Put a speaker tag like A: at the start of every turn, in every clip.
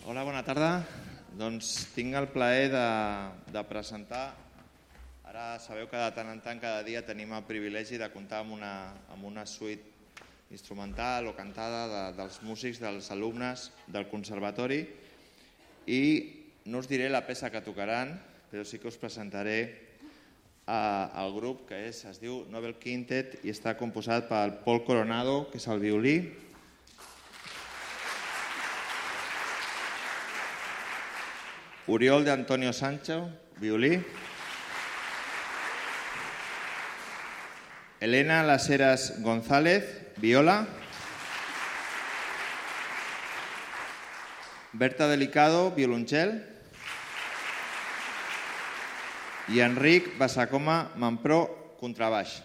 A: Hola, bona tarda. Doncs tinc el plaer de presentar. Ara sabeu que de tant en tant, cada dia, tenim el privilegi de comptar amb una suite instrumental o cantada dels músics, dels alumnes del conservatori, i no us diré la peça que tocaran, però sí que us presentaré el grup, que es diu Nobel Quintet i està composat pel Paul Coronado, que és el violí, Oriol de Antonio Sancho, violí, Elena Las Heras González, viola, Berta Delicado, violoncel, i Enric Basacoma Mampró, contrabaix.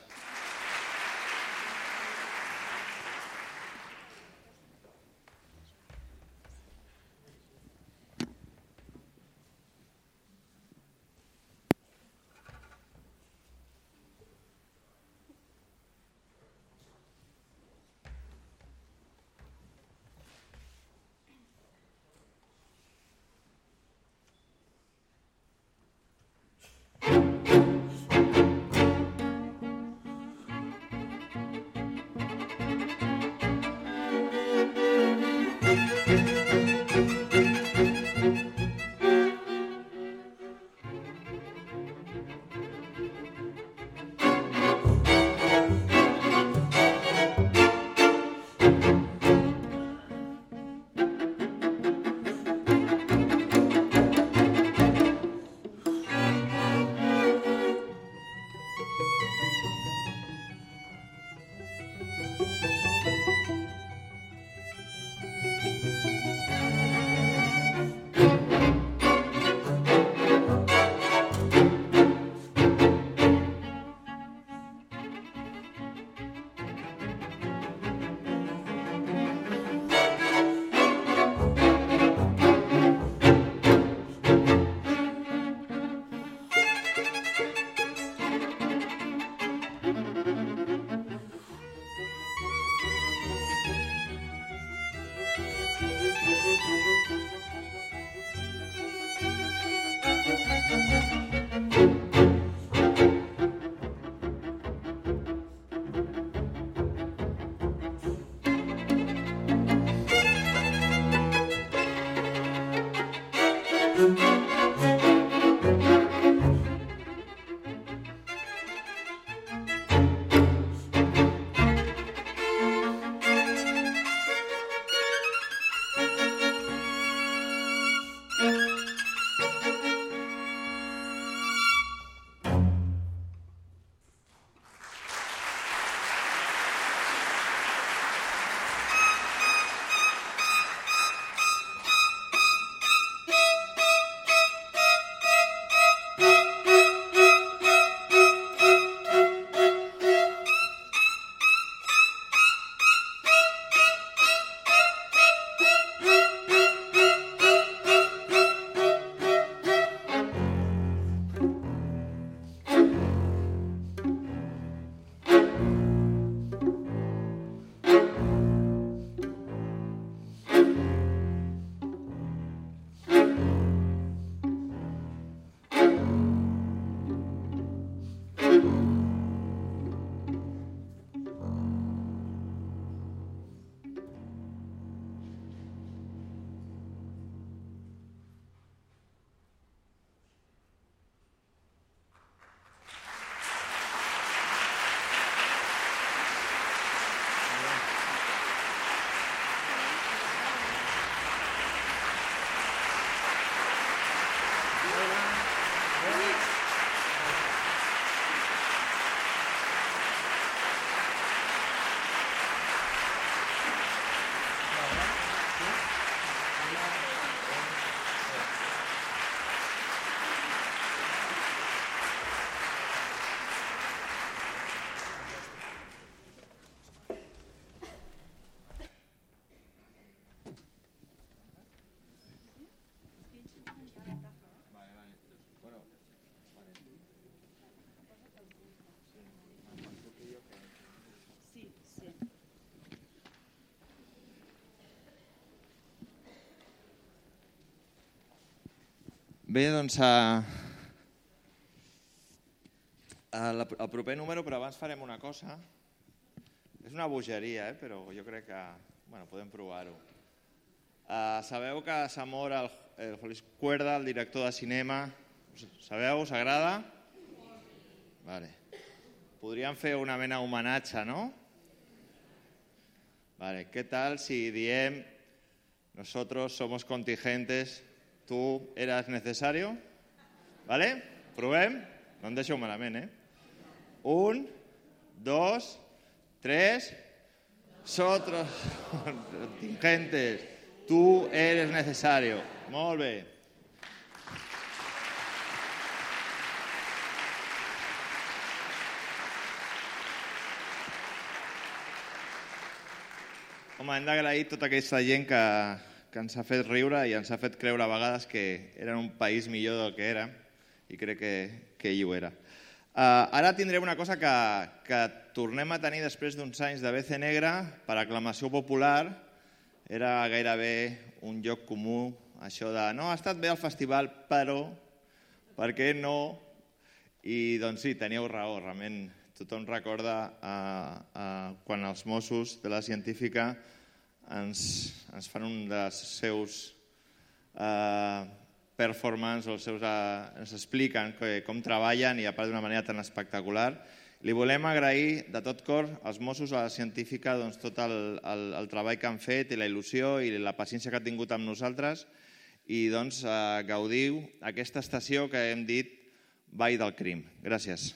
A: Bé, doncs el proper número, però abans farem una cosa. És una bogeria, però jo crec que podem provar-ho. Sabeu que s'ha mort el José Cuerda, el director de cinema? Sabeu? Us agrada? Vale. Podríem fer una mena d'homenatge, no? Vale. ¿Qué tal si diem nosotros somos contingentes, tú eras necesario? Vale? Provem? No em deixeu malament, 1, 2, 3. Nosotros contingentes, tú eres necesario. Molt bé. Home, hem d'agrair tota aquesta gent que ens ha fet riure i ens ha fet creure a vegades que era un país millor del que era, i crec que ell ho era. Ara tindrem una cosa que tornem a tenir després d'uns anys de BC Negra per aclamació popular. Era gairebé un lloc comú, això de no, ha estat bé el festival, però per què no? I doncs sí, teníeu raó, realment. Tothom recorda quan els Mossos de la Científica ens fan un dels seus performance, ens expliquen com treballen i a part d'una manera tan espectacular. Li volem agrair de tot cor als Mossos de la Científica tot el treball que han fet i la il·lusió i la paciència que han tingut amb nosaltres i gaudiu aquesta estació que hem dit Vall del Crim. Gràcies.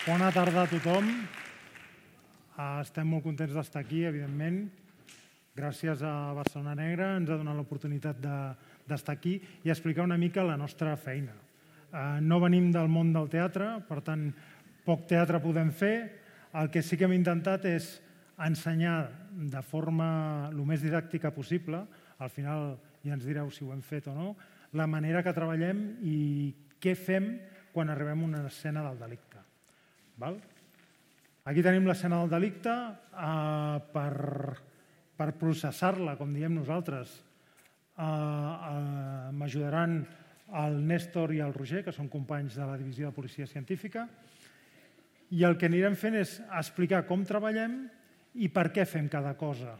B: Bona tarda a tothom. Estem molt contents d'estar aquí, evidentment. Gràcies a Barcelona Negra ens ha donat l'oportunitat d'estar aquí i explicar una mica la nostra feina. No venim del món del teatre, per tant, poc teatre podem fer. El que sí que hem intentat és ensenyar de forma el més didàctica possible, al final ja ens direu si ho hem fet o no, la manera que treballem i què fem quan arribem a una escena del delicte. Aquí tenim l'escena del delicte. Per processar-la, com diem nosaltres, m'ajudaran el Néstor i el Roger, que són companys de la Divisió de Policia Científica, i el que anirem fent és explicar com treballem i per què fem cada cosa,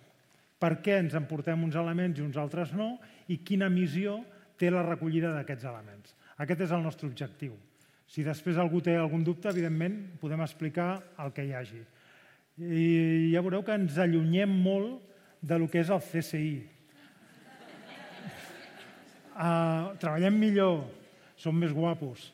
B: per què ens emportem uns elements i uns altres no, i quina missió té la recollida d'aquests elements. Aquest és el nostre objectiu. Si després algú té algun dubte, evidentment, podem explicar el que hi hagi. I ja veureu que ens allunyem molt del que és el CSI. Treballem millor, som més guapos,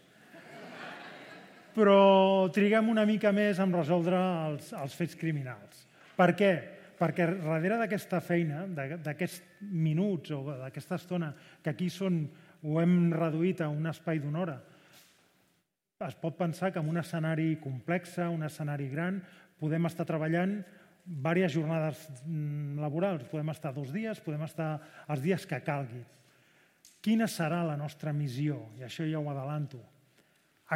B: però triguem una mica més en resoldre els fets criminals. Per què? Perquè darrere d'aquesta feina, d'aquests minuts o d'aquesta estona, que aquí ho hem reduït a un espai d'una hora, es pot pensar que en un escenari complex, un escenari gran, podem estar treballant diverses jornades laborals. Podem estar 2 dies, podem estar els dies que calgui. Quina serà la nostra missió? I això ja ho adelanto.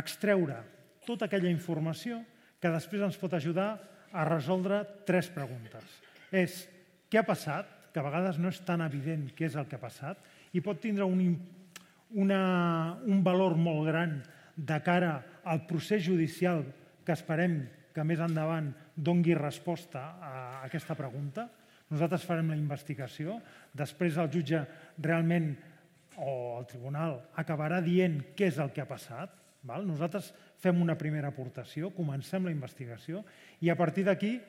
B: Extreure tota aquella informació que després ens pot ajudar a resoldre 3 preguntes. És què ha passat, que a vegades no és tan evident què és el que ha passat, i pot tindre un valor molt gran de cara al procés judicial que esperem que més endavant doni resposta a aquesta pregunta. Nosaltres farem la investigació, després el jutge realment o el tribunal acabarà dient què és el que ha passat. Nosaltres fem una primera aportació, comencem la investigació i a partir d'aquí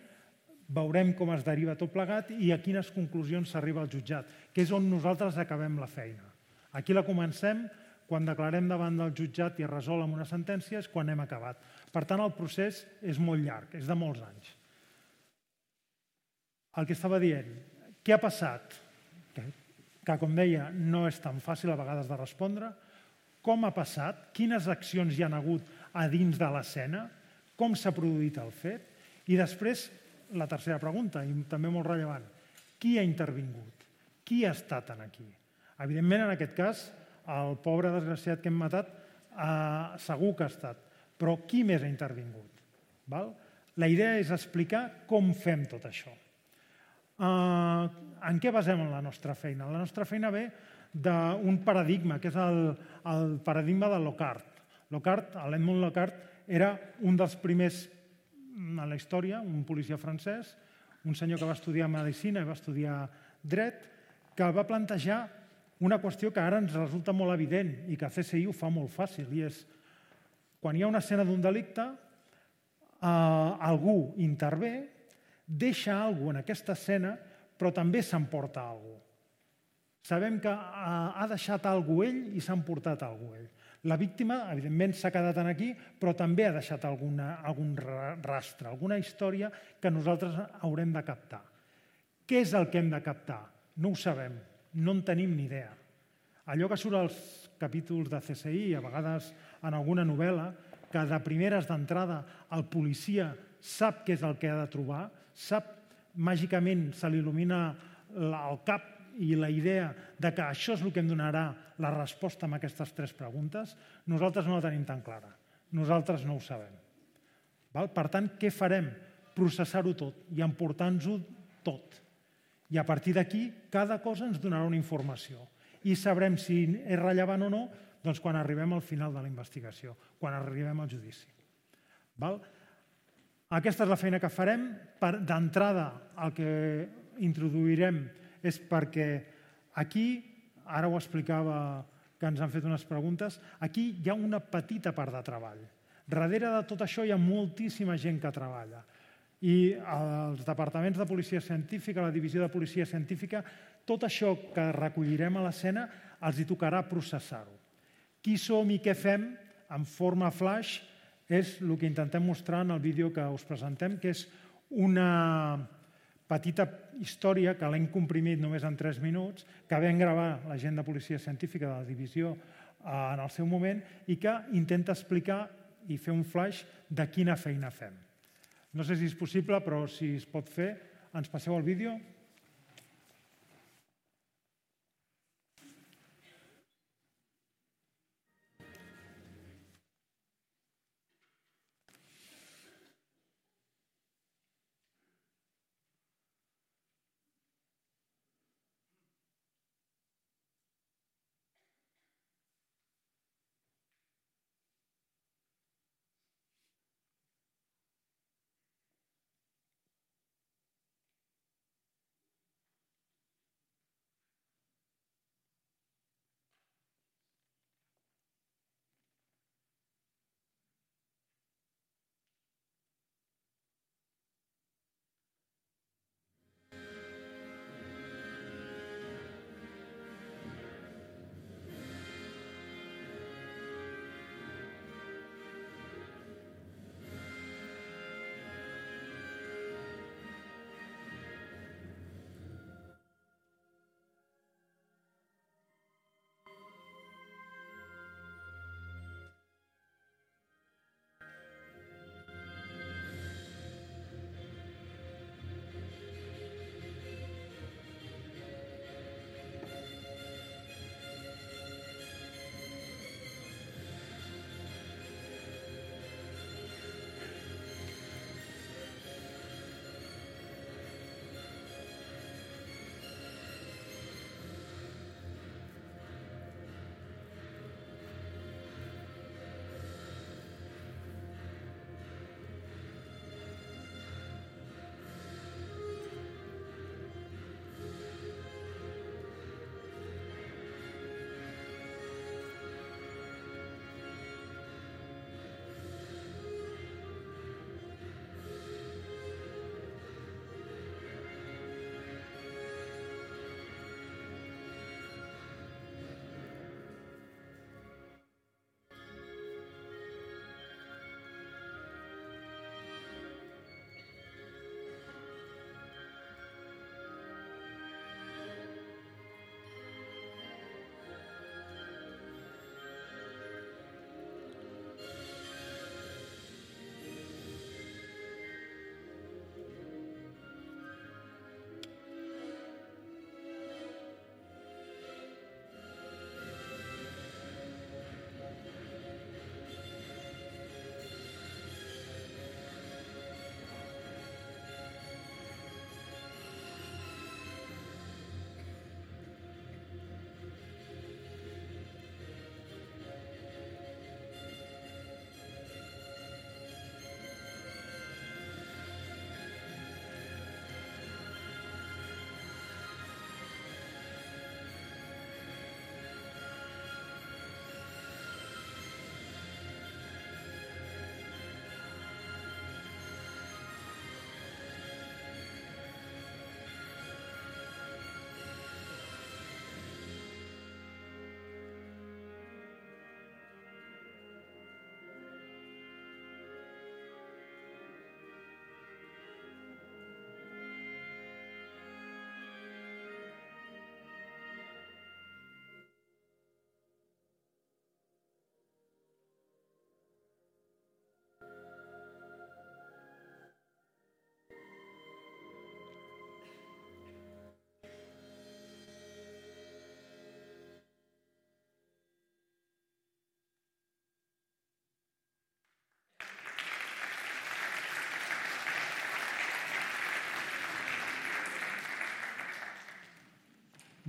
B: veurem com es deriva tot plegat i a quines conclusions s'arriba al jutjat, que és on nosaltres acabem la feina. Aquí la comencem. Quan declarem davant del jutjat i es resol amb una sentència és quan hem acabat. Per tant, el procés és molt llarg, és de molts anys. El que estava dient, què ha passat? Que, com deia, no és tan fàcil a vegades de respondre. Com ha passat? Quines accions hi ha hagut a dins de l'escena? Com s'ha produït el fet? I després, la tercera pregunta, i també molt rellevant, qui ha intervingut? Qui ha estat aquí? Evidentment, en aquest cas, el pobre desgraciat que hem matat segur que ha estat, però qui més ha intervingut? La idea és explicar com fem tot això. En què basem la nostra feina? La nostra feina ve d'un paradigma, que és el paradigma de Lockhart. L'Edmund Lockhart, era un dels primers a la història, un policia francès, un senyor que va estudiar medicina i va estudiar dret, que va plantejar una qüestió que ara ens resulta molt evident i que a CSI ho fa molt fàcil, i és quan hi ha una escena d'un delicte, algú intervé, deixa alguna cosa en aquesta escena, però també s'emporta alguna cosa. Sabem que ha deixat alguna cosa ell i s'ha emportat alguna cosa ell. La víctima, evidentment, s'ha quedat aquí, però també ha deixat algun rastre, alguna història que nosaltres haurem de captar. Què és el que hem de captar? No ho sabem, no en tenim ni idea. Allò que surt als capítols de CSI, a vegades en alguna novel·la, que de primeres d'entrada el policia sap què és el que ha de trobar, sap, màgicament se li il·lumina el cap i la idea de que això és el que em donarà la resposta a aquestes 3 preguntes, nosaltres no la tenim tan clara. Nosaltres no ho sabem. Per tant, què farem? Processar-ho tot i emportar-nos-ho tot. I a partir d'aquí, cada cosa ens donarà una informació. I sabrem si és rellevant o no doncs quan arribem al final de la investigació, quan arribem al judici. Aquesta és la feina que farem. D'entrada, el que introduirem és perquè aquí, ara ho explicava, que ens han fet unes preguntes, aquí hi ha una petita part de treball. Darrere de tot això hi ha moltíssima gent que treballa. I els departaments de policia científica, la divisió de policia científica, tot això que recollirem a l'escena els hi tocarà processar-ho. Qui som i què fem en forma flash és el que intentem mostrar en el vídeo que us presentem, que és una petita història que l'hem comprimit només en 3 minuts, que vam gravar la gent de policia científica de la divisió en el seu moment i que intenta explicar i fer un flash de quina feina fem. No sé si és possible, però si es pot fer, ens passeu el vídeo.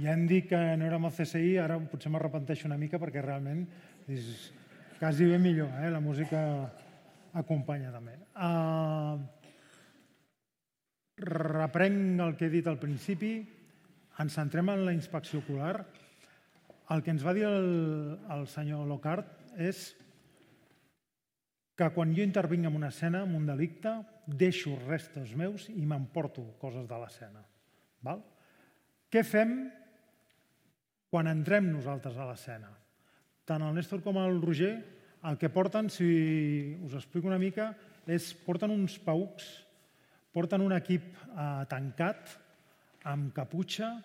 B: Ja hem dit que no érem al CSI, ara potser m'arrepenteixo una mica perquè realment és quasi bé millor, la música acompanya també. Reprenc el que he dit al principi, ens centrem en la inspecció ocular. El que ens va dir el senyor Lockhart és que quan jo intervinc en una escena, en un delicte, deixo restes meus i m'emporto coses de l'escena. Què fem quan entrem nosaltres a l'escena? Tant el Néstor com el Roger el que porten, si us explico una mica, és porten uns paucs, porten un equip tancat, amb caputxa,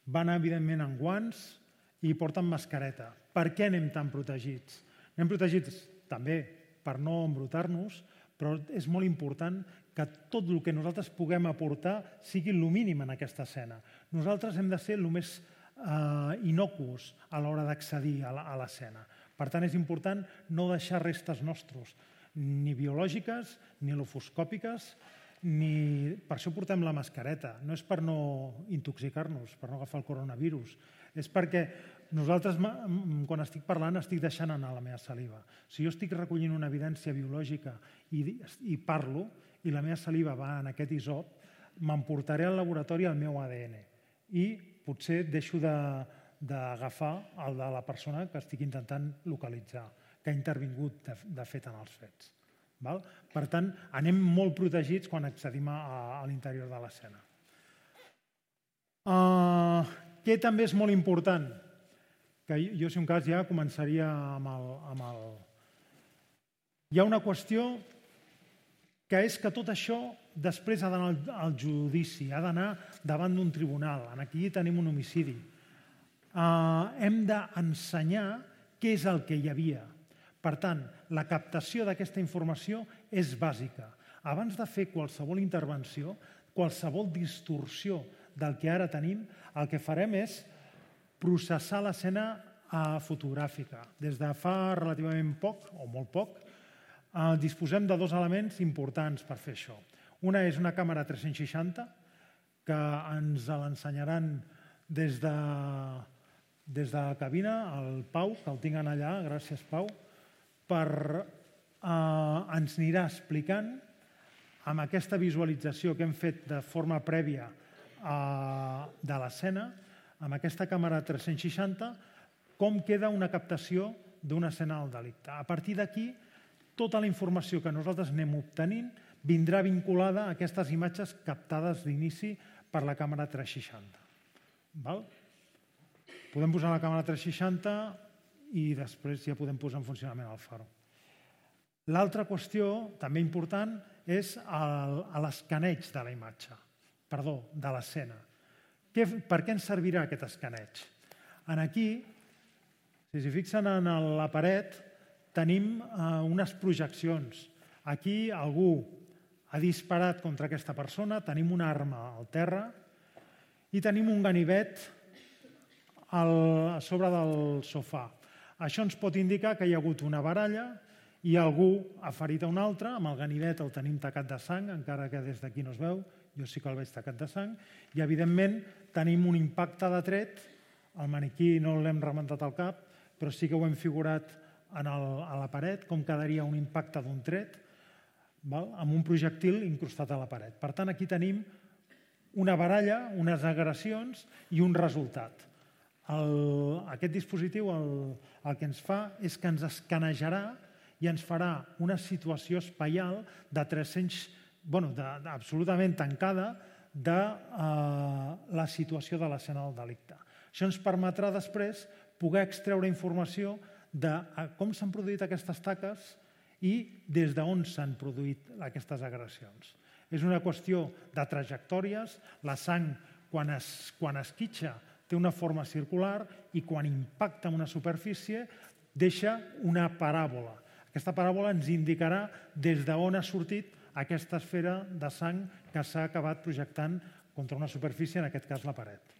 B: van evidentment amb guants i porten mascareta. Per què anem tan protegits? Anem protegits també per no embrutar-nos, però és molt important que tot el que nosaltres puguem aportar sigui el mínim en aquesta escena. Nosaltres hem de ser el més innocus a l'hora d'accedir a l'escena. Per tant, és important no deixar restes nostres, ni biològiques, ni lofoscòpiques, ni... Per això portem la mascareta. No és per no intoxicar-nos, per no agafar el coronavirus. És perquè nosaltres, quan estic parlant, estic deixant anar la meva saliva. Si jo estic recollint una evidència biològica i parlo, i la meva saliva va en aquest isop, m'emportaré al laboratori el meu ADN. I potser deixo d'agafar el de la persona que estic intentant localitzar, que ha intervingut de fet en els fets. Per tant, anem molt protegits quan accedim a l'interior de l'escena. Què també és molt important? Que jo, si un cas, ja començaria amb el... Hi ha una qüestió que és que tot això després ha d'anar al judici, ha d'anar davant d'un tribunal. Aquí tenim un homicidi. Hem d'ensenyar què és el que hi havia. Per tant, la captació d'aquesta informació és bàsica. Abans de fer qualsevol intervenció, qualsevol distorsió del que ara tenim, el que farem és processar l'escena fotogràfica. Des de fa relativament poc, o molt poc, disposem de dos elements importants per fer això. Una és una càmera 360, que ens l'ensenyaran des de la cabina, el Pau, que el tinc allà, gràcies Pau, ens anirà explicant amb aquesta visualització que hem fet de forma prèvia de l'escena, amb aquesta càmera 360, com queda una captació d'una escena del delicte. A partir d'aquí, tota la informació que nosaltres anem obtenint vindrà vinculada a aquestes imatges captades d'inici per la càmera 360. Podem posar la càmera 360 i després ja podem posar en funcionament el faro. L'altra qüestió, també important, és l'escaneig de la imatge, de l'escena. Per què ens servirà aquest escaneig? Aquí, si s'hi fixen en la paret, tenim unes projeccions. Aquí algú ha disparat contra aquesta persona, tenim una arma al terra i tenim un ganivet a sobre del sofà. Això ens pot indicar que hi ha hagut una baralla i algú ha ferit a un altre, amb el ganivet el tenim tacat de sang, encara que des d'aquí no es veu, jo sí que el veig tacat de sang, i evidentment tenim un impacte de tret, el maniquí no l'hem rementat al cap, però sí que ho hem figurat a la paret, com quedaria un impacte d'un tret, amb un projectil incrustat a la paret. Per tant, aquí tenim una baralla, unes agressions i un resultat. Aquest dispositiu el que ens fa és que ens escanejarà i ens farà una situació espaial de 300, absolutament tancada de la situació de l'escena del delicte. Això ens permetrà després poder extreure informació de com s'han produït aquestes taques i des d'on s'han produït aquestes agressions. És una qüestió de trajectòries. La sang, quan esquitxa, té una forma circular i quan impacta en una superfície deixa una paràbola. Aquesta paràbola ens indicarà des d'on ha sortit aquesta esfera de sang que s'ha acabat projectant contra una superfície, en aquest cas la paret.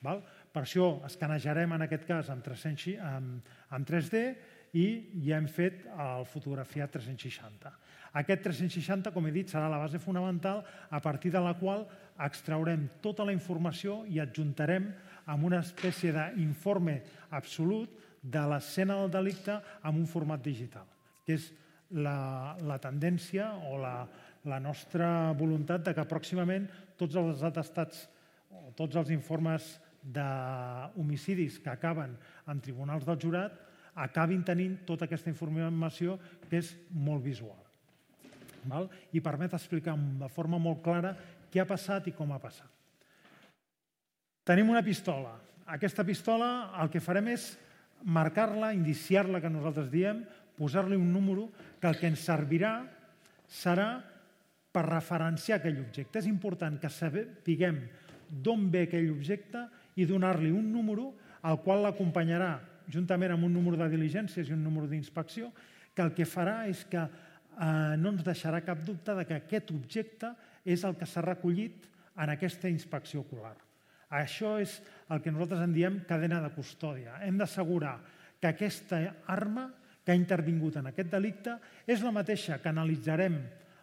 B: Per això escanejarem en aquest cas en 3D i ja hem fet el fotografiat 360. Aquest 360, com he dit, serà la base fonamental a partir de la qual extraurem tota la informació i adjuntarem amb una espècie d'informe absolut de l'escena del delicte en un format digital, que és la tendència o la nostra voluntat de que pròximament tots els atestats o tots els informes d'homicidis que acaben en tribunals del jurat acabin tenint tota aquesta informació que és molt visual. I permet explicar de forma molt clara què ha passat i com ha passat. Tenim una pistola. Aquesta pistola el que farem és marcar-la, indiciar-la, que nosaltres diem, posar-li un número que el que ens servirà serà per referenciar aquell objecte. És important que sapiguem d'on ve aquell objecte i donar-li un número al qual l'acompanyarà, juntament amb un número de diligències i un número d'inspecció, que el que farà és que no ens deixarà cap dubte que aquest objecte és el que s'ha recollit en aquesta inspecció ocular. Això és el que nosaltres en diem cadena de custòdia. Hem d'assegurar que aquesta arma que ha intervingut en aquest delicte és la mateixa que analitzarem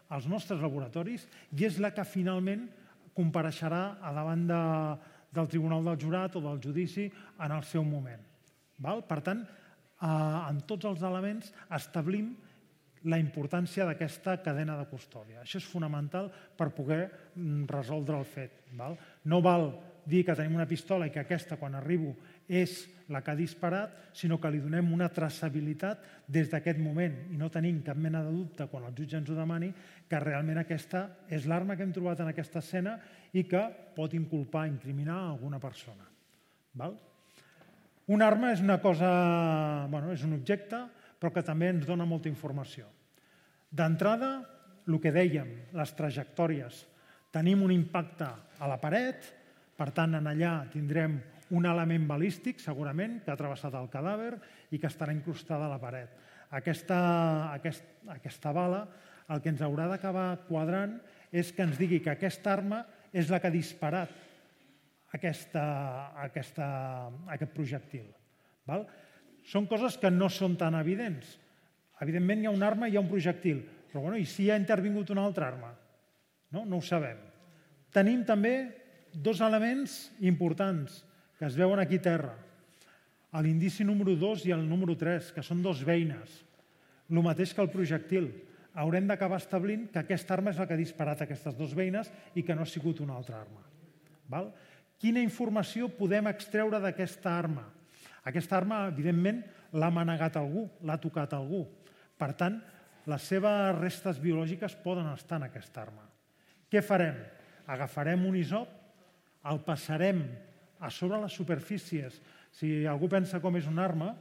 B: als nostres laboratoris i és la que finalment compareixerà a davant del Tribunal del Jurat o del judici en el seu moment. Per tant, en tots els elements establim la importància d'aquesta cadena de custòdia. Això és fonamental per poder resoldre el fet. No val dir que tenim una pistola i que aquesta, quan arribo, és la que ha disparat, sinó que li donem una traçabilitat des d'aquest moment i no tenim cap mena de dubte, quan el jutge ens ho demani, que realment aquesta és l'arma que hem trobat en aquesta escena i que pot inculpar, incriminar alguna persona. Una arma és una cosa, és un objecte, però que també ens dona molta informació. D'entrada, el que dèiem, les trajectòries. Tenim un impacte a la paret, per tant, allà tindrem un element balístic, segurament, que ha travessat el cadàver i que estarà incrustada a la paret. Aquesta bala, el que ens haurà d'acabar quadrant és que ens digui que aquesta arma és la que ha disparat aquest projectil. Són coses que no són tan evidents. Evidentment, hi ha una arma i hi ha un projectil, però i si hi ha intervingut una altra arma? No ho sabem. Tenim també dos elements importants que es veuen aquí a terra. L'indici número 2 i el número 3, que són dos beines. El mateix que el projectil. Haurem d'acabar establint que aquesta arma és la que ha disparat aquestes dues beines i que no ha sigut una altra arma. Quina informació podem extreure d'aquesta arma? Aquesta arma, evidentment, l'ha manegat algú, l'ha tocat algú. Per tant, les seves restes biològiques poden estar en aquesta arma. Què farem? Agafarem un isop, el passarem a sobre les superfícies. Si algú pensa com és una arma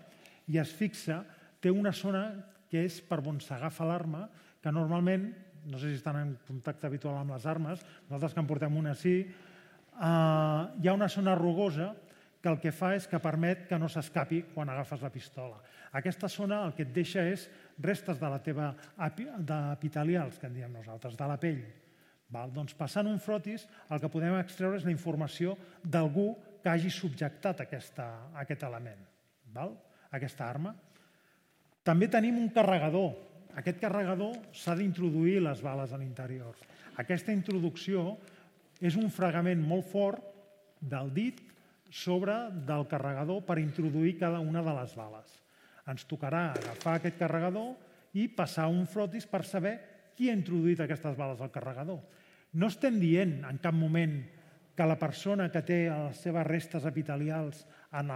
B: i es fixa, té una zona que és per on s'agafa l'arma, que normalment, no sé si estan en contacte habitual amb les armes, nosaltres que en portem una sí, hi ha una zona rugosa que el que fa és que permet que no s'escapi quan agafes la pistola. Aquesta zona el que et deixa és restes de la teva epitelials, que en diem nosaltres, de la pell. Doncs passant un frotis el que podem extreure és la informació d'algú que hagi subjectat aquest element, aquesta arma. També tenim un carregador. Aquest carregador s'ha d'introduir les bales a l'interior. Aquesta introducció és un fregament molt fort del dit sobre del carregador per introduir cada una de les bales. Ens tocarà agafar aquest carregador i passar un frotis per saber qui ha introduït aquestes bales al carregador. No estem dient en cap moment que la persona que té les seves restes epitelials en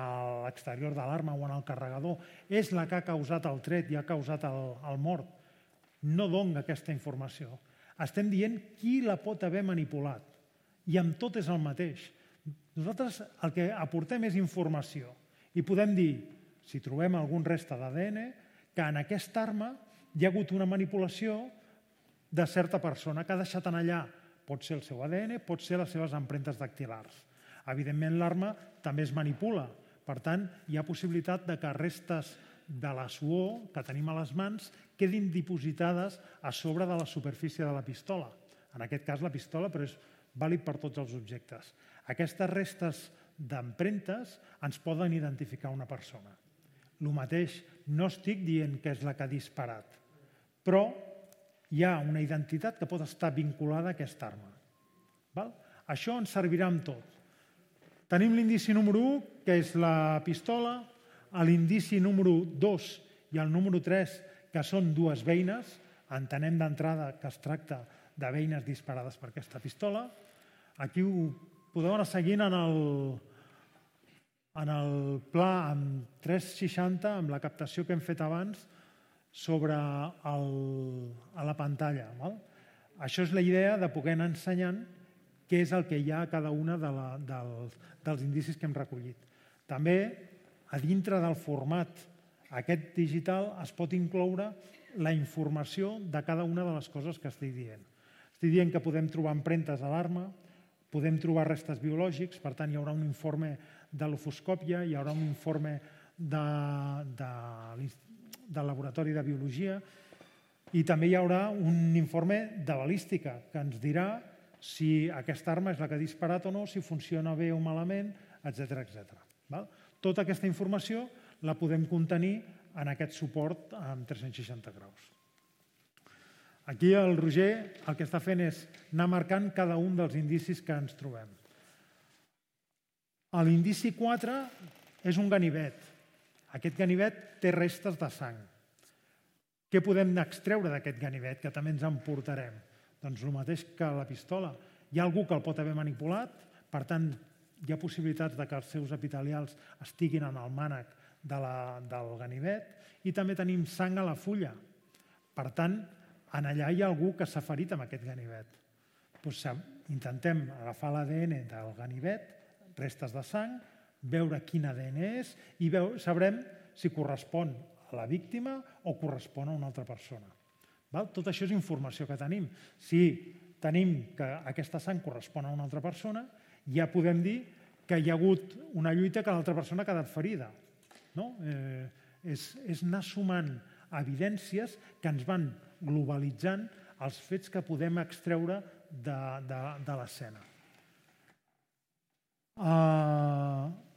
B: l'exterior de l'arma o en el carregador és la que ha causat el tret i ha causat el mort. No dona aquesta informació. Estem dient qui la pot haver manipulat. I amb tot és el mateix. Nosaltres el que aportem és informació. I podem dir, si trobem algun reste d'ADN, que en aquesta arma hi ha hagut una manipulació de certa persona que ha deixat allà. Pot ser el seu ADN, pot ser les seves empremtes dactilars. Evidentment, l'arma també es manipula. Per tant, hi ha possibilitat que restes de la suor que tenim a les mans quedin dipositades a sobre de la superfície de la pistola. En aquest cas, la pistola, però és vàlid per tots els objectes. Aquestes restes d'empremtes ens poden identificar una persona. El mateix, no estic dient que és la que ha disparat, però hi ha una identitat que pot estar vinculada a aquesta arma. Això ens servirà amb tot. Tenim l'indici número 1, que és la pistola, l'indici número 2 i el número 3, que són dues beines. Entenem d'entrada que es tracta de beines disparades per aquesta pistola. Aquí ho podeu anar seguint en el pla amb 360, amb la captació que hem fet abans, sobre a la pantalla. Això és la idea de poder anar ensenyant què és el que hi ha a cada una dels indicis que hem recollit. També, a dintre del format aquest digital, es pot incloure la informació de cada una de les coses que estic dient. Estic dient que podem trobar empremtes a l'arma, podem trobar restes biològics, per tant, hi haurà un informe de l'ofoscòpia, hi haurà un informe del laboratori de biologia i també hi haurà un informe de balística que ens dirà si aquesta arma és la que ha disparat o no, si funciona bé o malament, etc. Tota aquesta informació la podem contenir en aquest suport amb 360 graus. Aquí el Roger el que està fent és anar marcant cada un dels indicis que ens trobem. L'indici 4 és un ganivet. Aquest ganivet té restes de sang. Què podem extreure d'aquest ganivet, que també ens emportarem? Doncs el mateix que la pistola. Hi ha algú que el pot haver manipulat, per tant, hi ha possibilitats que els seus epitelials estiguin en el mànec del ganivet, i també tenim sang a la fulla. Per tant, allà hi ha algú que s'ha ferit amb aquest ganivet. Intentem agafar l'ADN del ganivet, restes de sang, veure quin ADN és i sabrem si correspon a la víctima o correspon a una altra persona. Tot això és informació que tenim. Si tenim que aquesta sang correspon a una altra persona, ja podem dir que hi ha hagut una lluita que l'altra persona ha quedat ferida. És anar sumant evidències que ens van globalitzant els fets que podem extreure de l'escena.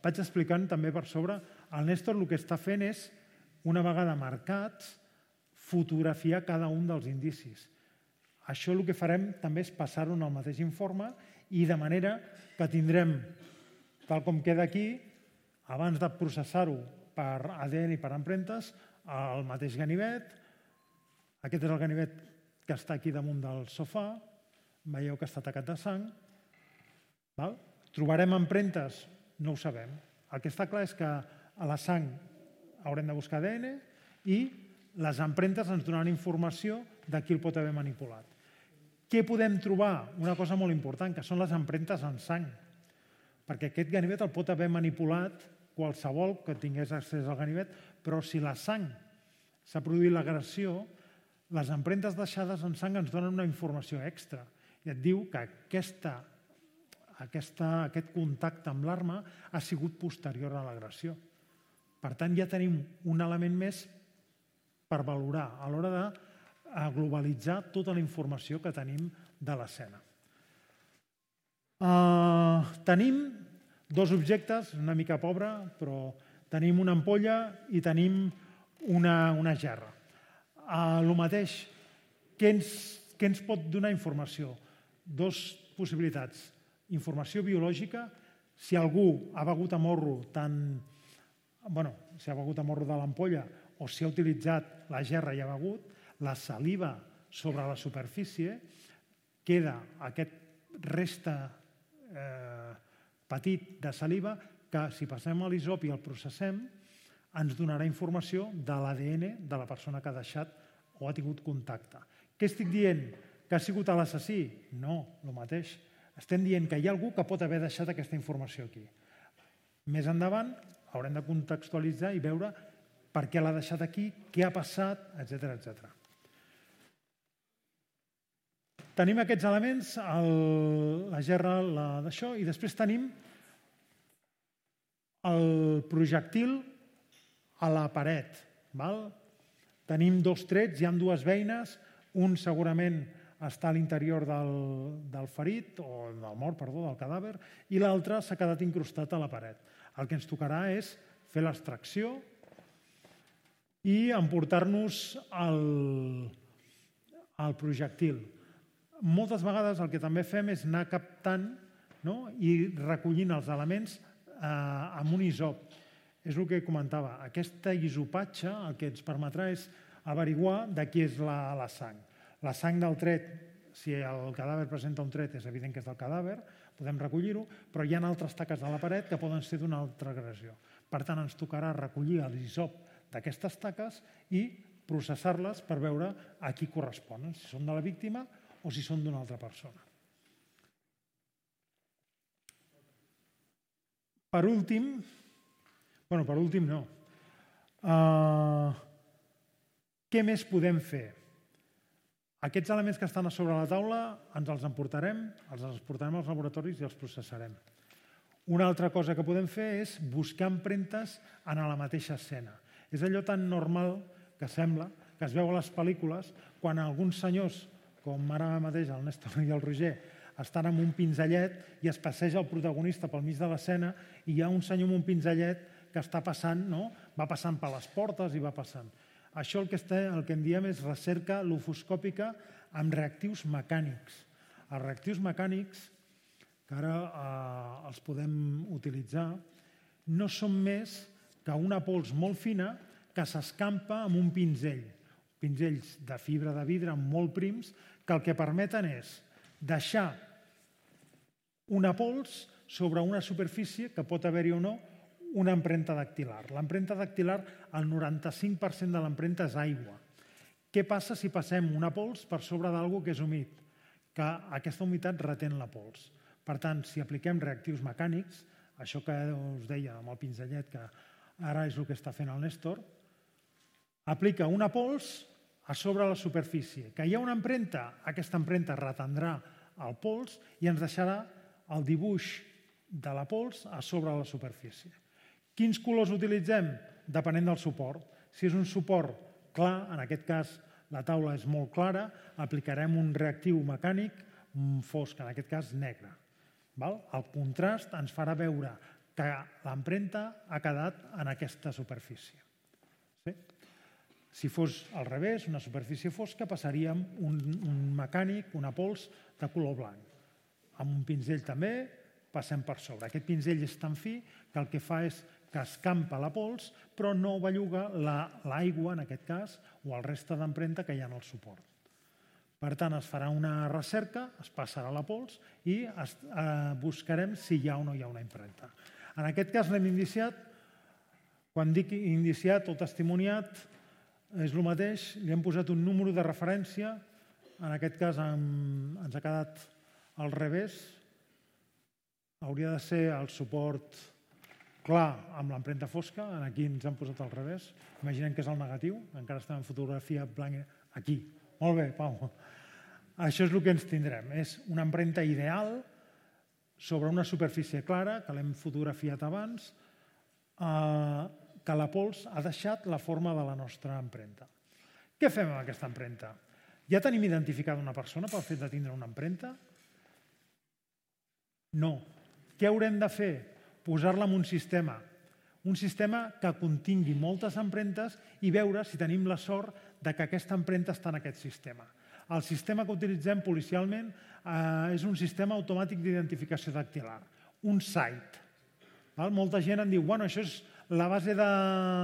B: Vaig explicant també per sobre, el Néstor el que està fent és, una vegada marcats, fotografiar cada un dels indicis. Això el que farem també és passar-ho en el mateix informe i de manera que tindrem, tal com queda aquí, abans de processar-ho per ADN i per empremtes, el mateix ganivet. Aquest és el ganivet que està aquí damunt del sofà. Veieu que està tacat de sang. Trobarem empremtes? No ho sabem. El que està clar és que a la sang haurem de buscar ADN i les empremtes ens donaran informació de qui el pot haver manipulat. Què podem trobar? Una cosa molt important, que són les empremtes en sang. Perquè aquest ganivet el pot haver manipulat qualsevol que tingués accés al ganivet, però si la sang s'ha produït l'agressió, les empremtes deixades en sang ens donen una informació extra. I et diu que aquest contacte amb l'arma ha sigut posterior a l'agressió. Per tant, ja tenim un element més per valorar a l'hora de globalitzar tota la informació que tenim de l'escena. Tenim dos objectes, una mica pobre, però tenim una ampolla i tenim una gerra. El mateix, què ens pot donar informació? Dues possibilitats. Informació biològica, si algú ha begut a morro si ha begut a morro de l'ampolla o si ha utilitzat la gerra i ha begut, la saliva sobre la superfície, queda aquest resta petit de saliva que si passem a l'hisop i el processem ens donarà informació de l'ADN de la persona que ha deixat o ha tingut contacte. Què estic dient? Que ha sigut l'assassí? No, el mateix. Estem dient que hi ha algú que pot haver deixat aquesta informació aquí. Més endavant haurem de contextualitzar i veure per què l'ha deixat aquí, què ha passat, etc. Tenim aquests elements, la gerra d'això, i després tenim el projectil a la paret. Tenim dos trets, hi ha dues beines, un segurament està a l'interior del ferit, o del mort, perdó, del cadàver, i l'altre s'ha quedat incrustat a la paret. El que ens tocarà és fer l'extracció i emportar-nos el projectil. Moltes vegades el que també fem és anar captant i recollint els elements amb un isop. És el que comentava. Aquesta isopatge el que ens permetrà és averiguar de qui és la sang. La sang del tret, si el cadàver presenta un tret, és evident que és del cadàver, podem recollir-ho, però hi ha altres taques de la paret que poden ser d'una altra agressió. Per tant, ens tocarà recollir l'isop d'aquestes taques i processar-les per veure a qui corresponen, si són de la víctima o si són d'una altra persona. Per últim no. Què més podem fer? Aquests elements que estan a sobre la taula ens els emportarem, els portarem als laboratoris i els processarem. Una altra cosa que podem fer és buscar empremtes en la mateixa escena. És allò tan normal que sembla, que es veu a les pel·lícules, quan alguns senyors, com ara mateix el Néstor i el Roger, estan amb un pinzellet i es passeja el protagonista pel mig de l'escena i hi ha un senyor amb un pinzellet que està passant, va passant per les portes i va passant. Això el que en diem és recerca lofoscòpica amb reactius mecànics. Els reactius mecànics, que ara els podem utilitzar, no són més que una pols molt fina que s'escampa amb un pinzell. Pinzells de fibra de vidre molt prims que el que permeten és deixar una pols sobre una superfície que pot haver-hi o no una empremta dactilar. L'empremta dactilar, el 95% de l'empremta és aigua. Què passa si passem una pols per sobre d'algú que és humit? Que aquesta humitat retén la pols. Per tant, si apliquem reactius mecànics, això que us deia amb el pinzellet, que ara és el que està fent el Néstor, aplica una pols a sobre la superfície. Que hi ha una empremta, aquesta empremta retendrà el pols i ens deixarà el dibuix de la pols a sobre la superfície. Quins colors utilitzem? Depenent del suport. Si és un suport clar, en aquest cas la taula és molt clara, aplicarem un reactiu mecànic fosc, en aquest cas negre. El contrast ens farà veure que l'empremta ha quedat en aquesta superfície. Si fos al revés, una superfície fosca, passaríem un mecànic, una pols de color blanc. Amb un pinzell també passem per sobre. Aquest pinzell és tan fi que el que fa és que escampa la pols, però no belluga l'aigua, en aquest cas, o el reste d'empremta que hi ha en el suport. Per tant, es farà una recerca, es passarà la pols i buscarem si hi ha o no hi ha una empremta. En aquest cas l'hem indiciat. Quan dic indiciat o testimoniat, és el mateix. Li hem posat un número de referència. En aquest cas ens ha quedat al revés. Hauria de ser el suport clar amb l'empremta fosca. Aquí ens han posat al revés. Imaginem que és el negatiu. Encara estem en fotografia blanca. Aquí. Molt bé, Pau. Això és el que ens tindrem. És una empremta ideal sobre una superfície clara, que l'hem fotografiat abans, que la pols ha deixat la forma de la nostra empremta. Què fem amb aquesta empremta? Ja tenim identificada una persona pel fet de tindre una empremta? No. Què haurem de fer? Posar-la en un sistema que contingui moltes empremtes i veure si tenim la sort que aquesta empremta està en aquest sistema. El sistema que utilitzem policialment és un sistema automàtic d'identificació dactilar, un SITE. Molta gent em diu, bueno, això és la base de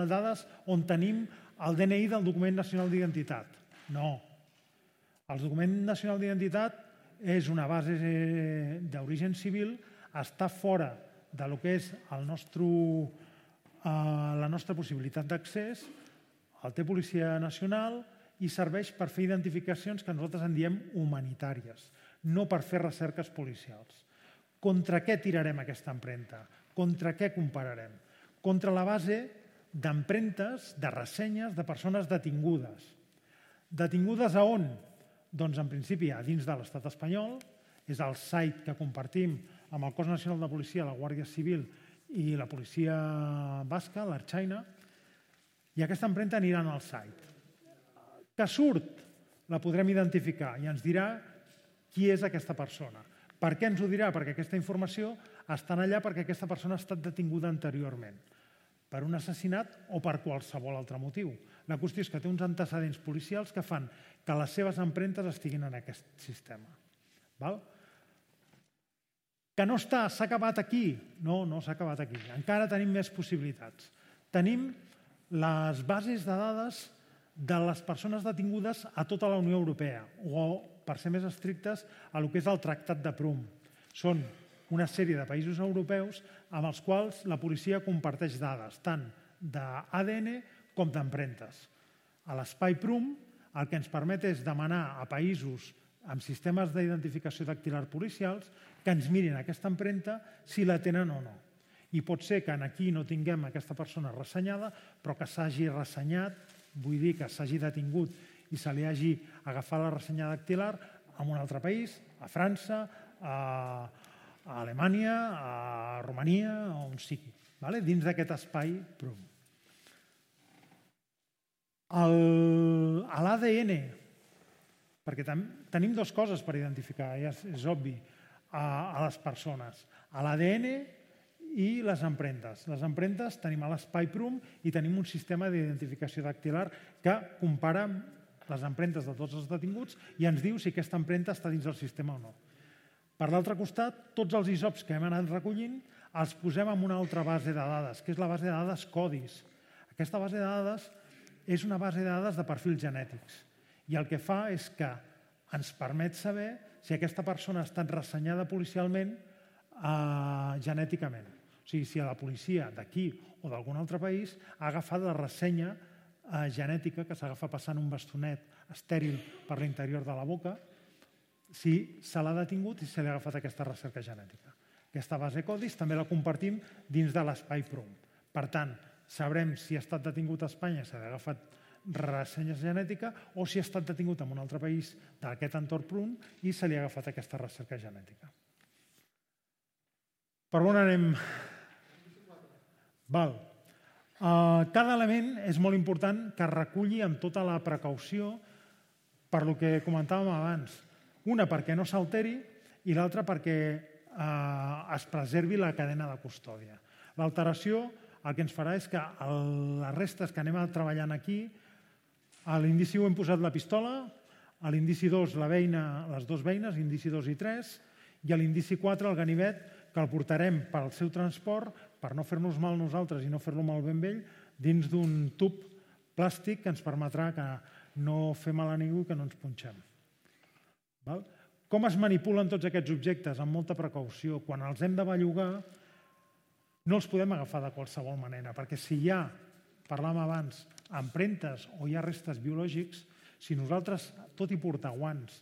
B: dades on tenim el DNI del document nacional d'identitat. No. El document nacional d'identitat és una base d'origen civil, està fora de lo que és la nostra possibilitat d'accés, el té Policia Nacional i serveix per fer identificacions que nosaltres en diem humanitàries, no per fer recerques policials. Contra què tirarem aquesta empremta? Contra què compararem? Contra la base d'empremtes, de ressenyes de persones detingudes. Detingudes a on? Doncs en principi a dins de l'estat espanyol, és el site que compartim amb el Cos Nacional de Policia, la Guàrdia Civil i la Policia Basca, l'Ertzaintza, i aquesta empremta anirà al site. Que surt, la podrem identificar i ens dirà qui és aquesta persona. Per què ens ho dirà? Perquè aquesta informació està allà perquè aquesta persona ha estat detinguda anteriorment per un assassinat o per qualsevol altre motiu. La qüestió és que té uns antecedents policials que fan que les seves empremtes estiguin en aquest sistema. Que no s'ha acabat aquí? No, no s'ha acabat aquí. Encara tenim més possibilitats. Tenim les bases de dades de les persones detingudes a tota la Unió Europea, o, per ser més estrictes, a lo que és el Tractat de Prüm. Són una sèrie de països europeus amb els quals la policia comparteix dades, tant d'ADN com d'empremtes. A l'espai Prüm el que ens permet és demanar a països amb sistemes d'identificació dactilar policials que ens mirin aquesta empremta si la tenen o no. I pot ser que aquí no tinguem aquesta persona ressenyada, però que s'hagi ressenyat, vull dir que s'hagi detingut i se li hagi agafat la ressenya dactilar en un altre país, a França, a Alemanya, a Romania, on sigui, dins d'aquest espai Prüm. L'ADN, perquè tenim dues coses per identificar, és obvi, a les persones. L'ADN i les empremtes. Les empremtes tenim a l'espai Prüm i tenim un sistema d'identificació dactilar que compara les empremtes de tots els detinguts i ens diu si aquesta empremta està dins del sistema o no. Per l'altre costat, tots els isops que hem anat recollint els posem en una altra base de dades, que és la base de dades CODIS. Aquesta base de dades és una base de dades de perfils genètics i el que fa és que ens permet saber si aquesta persona ha estat ressenyada policialment genèticament. O sigui, si la policia d'aquí o d'algun altre país ha agafat la ressenya genètica que s'agafa passant un bastonet estèril per l'interior de la boca, si se l'ha detingut i se li ha agafat aquesta recerca genètica. Aquesta base CODIS també la compartim dins de l'espai Prüm. Per tant, sabrem si ha estat detingut a Espanya i se li ha agafat ressenya genètica o si ha estat detingut en un altre país d'aquest entorn Prüm i se li ha agafat aquesta recerca genètica. Per on anem? Cada element és molt important que es reculli amb tota la precaució per lo que comentàvem abans. Una, perquè no s'alteri, i l'altra, perquè es preservi la cadena de custòdia. L'alteració el que ens farà és que les restes que anem treballant aquí, a l'indici 1 hem posat la pistola, a l'indici 2 la beina, les dues beines, indici 2 i 3, i a l'indici 4 el ganivet, que el portarem pel seu transport, per no fer-nos mal nosaltres i no fer-lo mal ben vell, dins d'un tub plàstic que ens permetrà que no fer mal a ningú i que no ens punxem. Com es manipulen tots aquests objectes? Amb molta precaució. Quan els hem de bellugar, no els podem agafar de qualsevol manera, perquè si hi ha, parlàvem abans, empremtes o hi ha restes biològics, si nosaltres, tot i portar guants,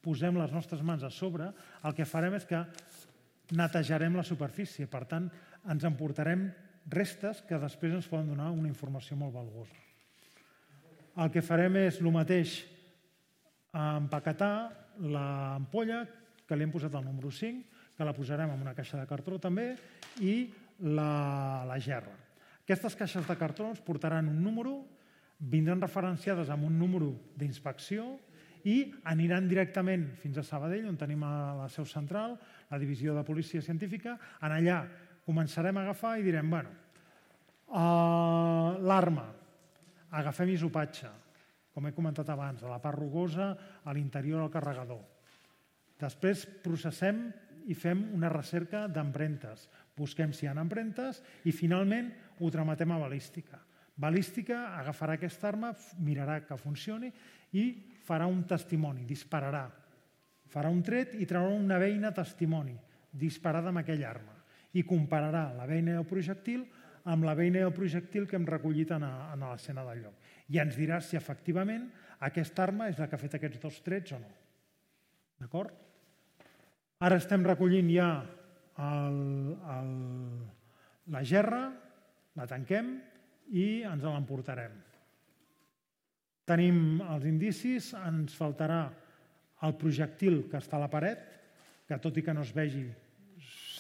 B: posem les nostres mans a sobre, el que farem és que netejarem la superfície. Per tant, ens emportarem restes que després ens poden donar una informació molt valuosa. El que farem és el mateix, empaquetar l'ampolla, que li hem posat el número 5, que la posarem en una caixa de cartró també, i la gerra. Aquestes caixes de cartró ens portaran un número, vindran referenciades amb un número d'inspecció i aniran directament fins a Sabadell, on tenim la seu central, la divisió de policia científica. En allà començarem a agafar i direm, bueno, l'arma, agafem isopatge, com he comentat abans, a la part rugosa, a l'interior del carregador. Després processem i fem una recerca d'empremtes. Busquem si hi ha empremtes i finalment ho trametem a balística. Balística agafarà aquesta arma, mirarà que funcioni i farà un testimoni, dispararà. Farà un tret i traurà una beina testimoni disparada amb aquella arma i compararà la beina o projectil amb la beina o projectil que hem recollit en l'escena del lloc. I ens dirà si efectivament aquesta arma és la que ha fet aquests dos trets o no. D'acord? Ara estem recollint ja la gerra, la tanquem i ens l'emportarem. Tenim els indicis, ens faltarà el projectil que està a la paret, que tot i que no es vegi,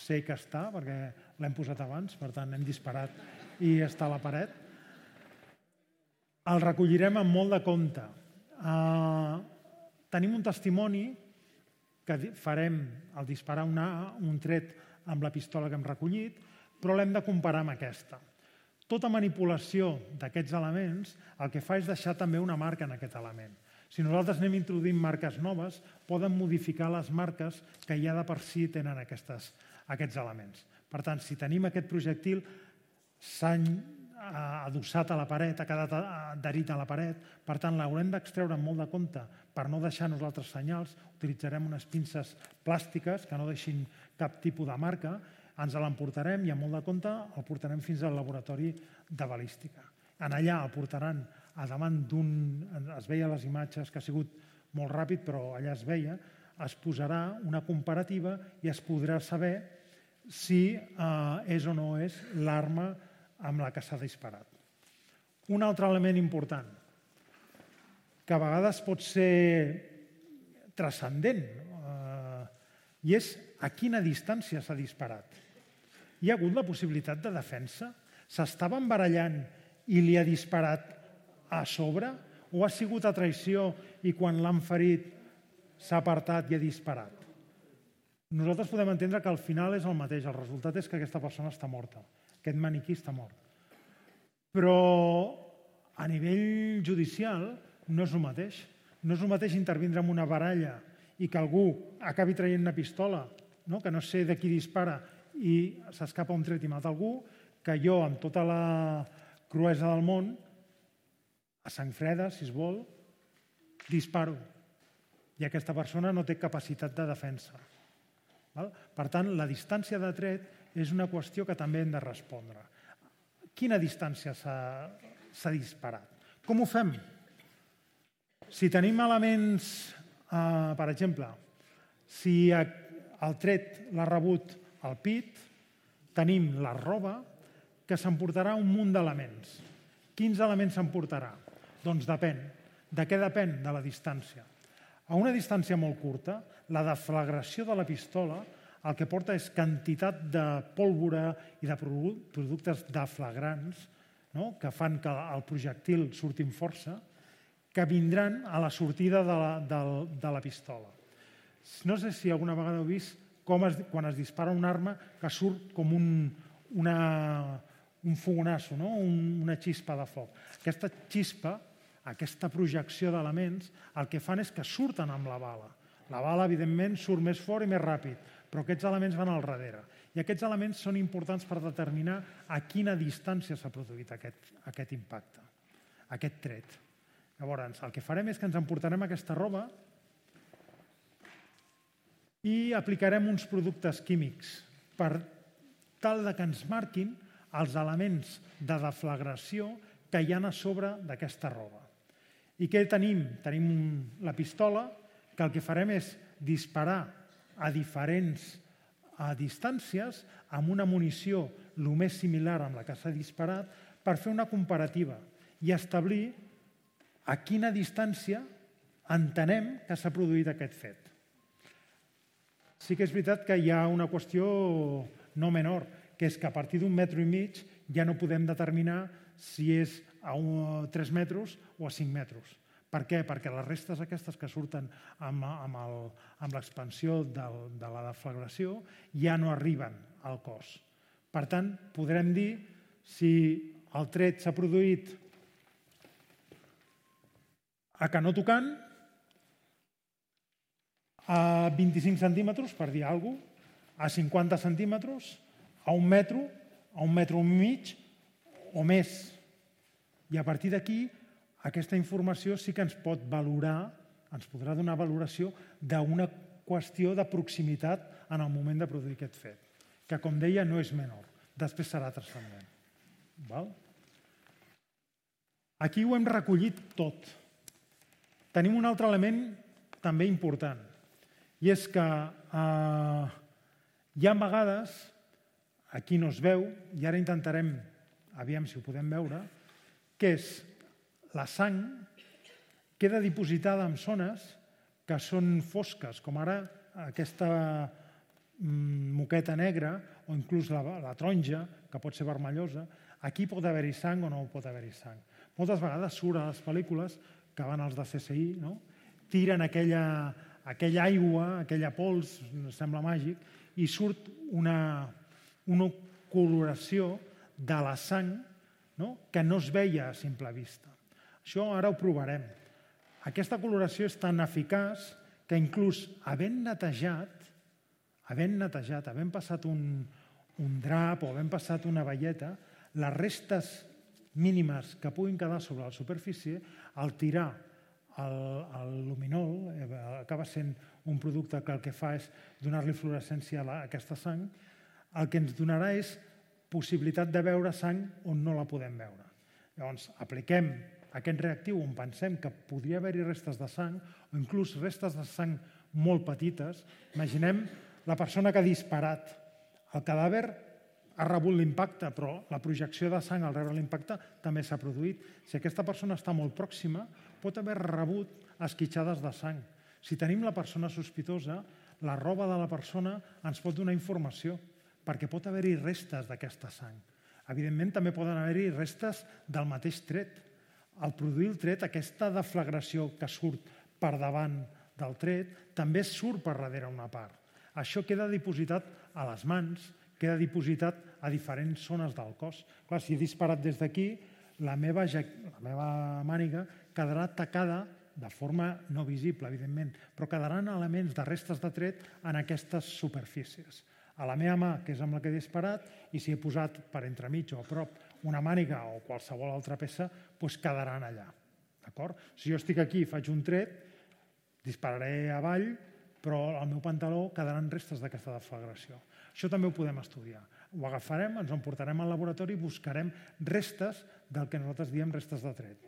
B: sé que està, perquè l'hem posat abans, per tant hem disparat i està a la paret. El recollirem amb molt de compte. Tenim un testimoni que farem al disparar un tret amb la pistola que hem recollit, però l'hem de comparar amb aquesta. Tota manipulació d'aquests elements el que fa és deixar també una marca en aquest element. Si nosaltres anem introduint marques noves, poden modificar les marques que ja de per si tenen aquests elements. Per tant, si tenim aquest projectil, s'ha adossat a la paret, ha quedat adherit a la paret, per tant, l'haurem d'extreure amb molt de compte per no deixar nosaltres senyals, utilitzarem unes pinces plàstiques que no deixin cap tipus de marca, ens l'emportarem i amb molt de compte el portarem fins al laboratori de balística. En allà el portaran a davant d'un... Es veia a les imatges que ha sigut molt ràpid, però allà es veia, es posarà una comparativa i es podrà saber si és o no és l'arma amb la que s'ha disparat. Un altre element important, que a vegades pot ser transcendent, i és a quina distància s'ha disparat. Hi ha hagut la possibilitat de defensa? S'estaven barallant i li ha disparat a sobre? O ha sigut a traïció i quan l'han ferit s'ha apartat i ha disparat? Nosaltres podem entendre que al final és el mateix. El resultat és que aquesta persona està morta. Aquest maniquí està mort. Però a nivell judicial no és el mateix. No és el mateix intervindre en una baralla i que algú acabi traient una pistola, que no sé de qui dispara, i s'escapa un tret i mata algú, que jo, amb tota la cruesa del món, a sang freda, si es vol, disparo. I aquesta persona no té capacitat de defensa. Per tant, la distància de tret és una qüestió que també hem de respondre. Quina distància s'ha disparat? Com ho fem? Si tenim elements, per exemple, si el tret l'ha rebut al pit, tenim la roba, que s'emportarà un munt d'elements. Quins elements s'emportarà? Doncs depèn. De què depèn? De la distància. A una distància molt curta, la deflagració de la pistola el que porta és quantitat de pólvora i de productes deflagrants que fan que el projectil surti amb força, que vindran a la sortida de la pistola. No sé si alguna vegada heu vist com quan es dispara una arma que surt com un fogonasso, una xispa de foc. Aquesta xispa, aquesta projecció d'elements, el que fan és que surten amb la bala. La bala, evidentment, surt més fort i més ràpid, però aquests elements van al darrere. I aquests elements són importants per determinar a quina distància s'ha produït aquest impacte, aquest tret. Llavors, el que farem és que ens emportarem aquesta roba i aplicarem uns productes químics per tal que ens marquin els elements de deflagració que hi ha a sobre d'aquesta roba. I què tenim? Tenim la pistola, que el que farem és disparar a diferents distàncies amb una munició el més similar amb la que s'ha disparat per fer una comparativa i establir a quina distància entenem que s'ha produït aquest fet. Sí que és veritat que hi ha una qüestió no menor, que és que a partir d'1,5 metres ja no podem determinar si és a 3 metres o a 5 metres. Per què? Perquè les restes aquestes que surten amb l'expansió de la deflagració ja no arriben al cos. Per tant, podrem dir si el tret s'ha produït a canó tocant, a 25 centímetres, per dir alguna cosa, a 50 centímetres, a 1 metre, a 1,5 metres o més. I a partir d'aquí, aquesta informació sí que ens pot valorar, ens podrà donar valoració d'una qüestió de proximitat en el moment de produir aquest fet, que, com deia, no és menor. Després serà transcendent. Aquí ho hem recollit tot. Tenim un altre element també important, i és que hi ha vegades, aquí no es veu, i ara intentarem, aviam si ho podem veure, que és la sang queda dipositada en zones que són fosques, com ara aquesta moqueta negra o inclús la taronja, que pot ser vermellosa. Aquí pot haver-hi sang o no pot haver-hi sang. Moltes vegades surt a les pel·lícules que van als de CSI, tiren aquella aigua, aquella pols, sembla màgic, i surt una coloració de la sang que no es veia a simple vista. Això ara ho provarem. Aquesta coloració és tan eficaç que inclús havent netejat, havent passat un drap o havent passat una baieta, les restes mínimes que puguin quedar sobre la superfície, al tirar el luminol, acaba sent un producte que el que fa és donar-li fluorescència a aquesta sang, el que ens donarà és possibilitat de veure sang on no la podem veure. Llavors, apliquem aquest reactiu on pensem que podria haver-hi restes de sang o inclús restes de sang molt petites. Imaginem la persona que ha disparat. El cadàver ha rebut l'impacte, però la projecció de sang al rebre l'impacte també s'ha produït. Si aquesta persona està molt pròxima, pot haver rebut esquitxades de sang. Si tenim la persona sospitosa, la roba de la persona ens pot donar informació, perquè pot haver-hi restes d'aquesta sang. Evidentment, també poden haver-hi restes del mateix tret. Al produir el tret, aquesta deflagració que surt per davant del tret també surt per darrere una part. Això queda dipositat a les mans, queda dipositat a diferents zones del cos. Clar, si he disparat des d'aquí, la meva màniga quedarà tacada de forma no visible, evidentment, però quedaran elements de restes de tret en aquestes superfícies. A la meva mà, que és amb la que he disparat, i si he posat per entremig o a prop una màniga o qualsevol altra peça, doncs quedaran allà. Si jo estic aquí i faig un tret, dispararé avall, però al meu pantaló quedaran restes d'aquesta deflagració. Això també ho podem estudiar. Ho agafarem, ens ho emportarem al laboratori i buscarem restes del que nosaltres diem restes de tret.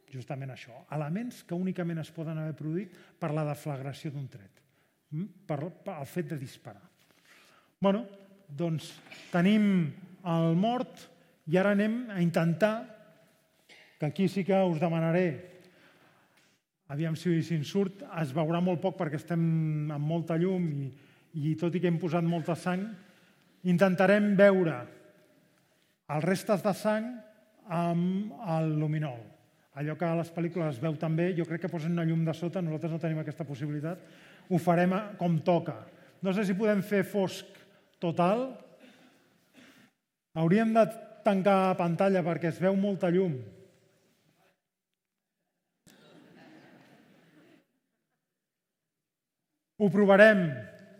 B: Justament això, elements que únicament es poden haver produït per la deflagració d'un tret, pel fet de disparar. Doncs tenim el mort i ara anem a intentar, que aquí sí que us demanaré, aviam si en surt, es veurà molt poc perquè estem amb molta llum i tot i que hem posat molta sang, intentarem veure els restes de sang amb el luminol. Allò que a les pel·lícules es veu també, jo crec que posen una llum de sota, nosaltres no tenim aquesta possibilitat, ho farem com toca. No sé si podem fer fosc total. Hauríem de tancar pantalla perquè es veu molta llum. Ho provarem.